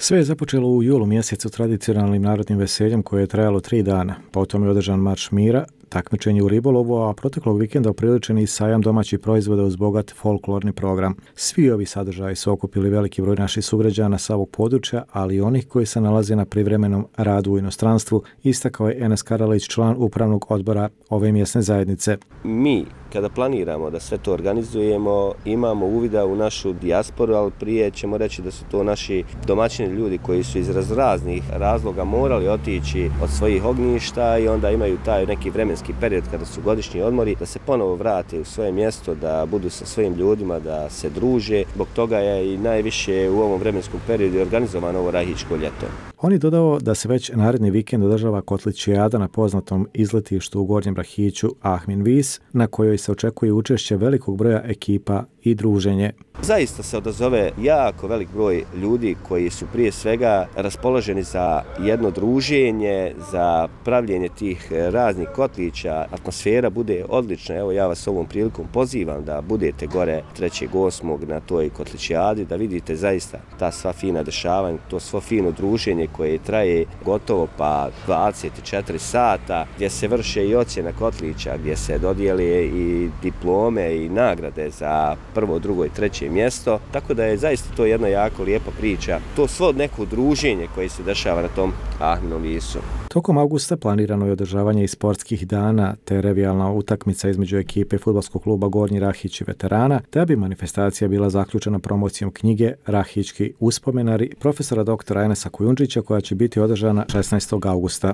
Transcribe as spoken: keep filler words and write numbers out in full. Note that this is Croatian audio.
Sve je započelo u julu mjesecu tradicionalnim narodnim veseljem koje je trajalo tri dana. Potom je održan marš mira, takmičenje u ribolovu, a proteklog vikenda upriličen i sajam domaćih proizvoda uz bogat folklorni program. Svi ovi sadržaji su okupili veliki broj naših sugrađana sa ovog područja, ali i onih koji se nalaze na privremenom radu u inostranstvu, istakao je Enes Karalić, član upravnog odbora ove mjesne zajednice. Mi, kada planiramo da sve to organizujemo, imamo uvida u našu dijasporu, ali prije ćemo reći da su to naši domaćini ljudi koji su iz raznih razloga morali otići od svojih ognjišta i onda imaju taj neki vremenski period kada su godišnji odmori, da se ponovo vrate u svoje mjesto, da budu sa svojim ljudima, da se druže. Zbog toga je i najviše u ovom vremenskom periodu organizovano ovo Rahićko ljeto. On je dodao da se već naredni vikend održava Kotlićijada na poznatom izletištu u Gornjem Rahiću Ahmin Vis, na kojoj se očekuje učešće velikog broja ekipa i druženje. Zaista se odazove jako velik broj ljudi koji su prije svega raspoloženi za jedno druženje, za pravljenje tih raznih kotlića. Atmosfera bude odlična. Evo, ja vas ovom prilikom pozivam da budete gore trećeg osmog na toj Kotlićijadi, da vidite zaista ta sva fina dešavanja, to svo fino druženje koje traje gotovo pa dvadeset četiri sata, gdje se vrše i ocjena kotlića, gdje se dodijele i diplome i nagrade za prvo, drugo i treće mjesto. Tako da je zaista to jedna jako lijepa priča. To svo neko druženje koje se dešava na tom Ahminom Visu. Tokom avgusta planirano je održavanje i sportskih dana te revijalna utakmica između ekipe fudbalskog kluba Gornji Rahić i veterana, da bi manifestacija bila zaključena promocijom knjige Rahićki uspomenari profesora doktora Enesa Kujundžića koja će biti održana šesnaestog avgusta.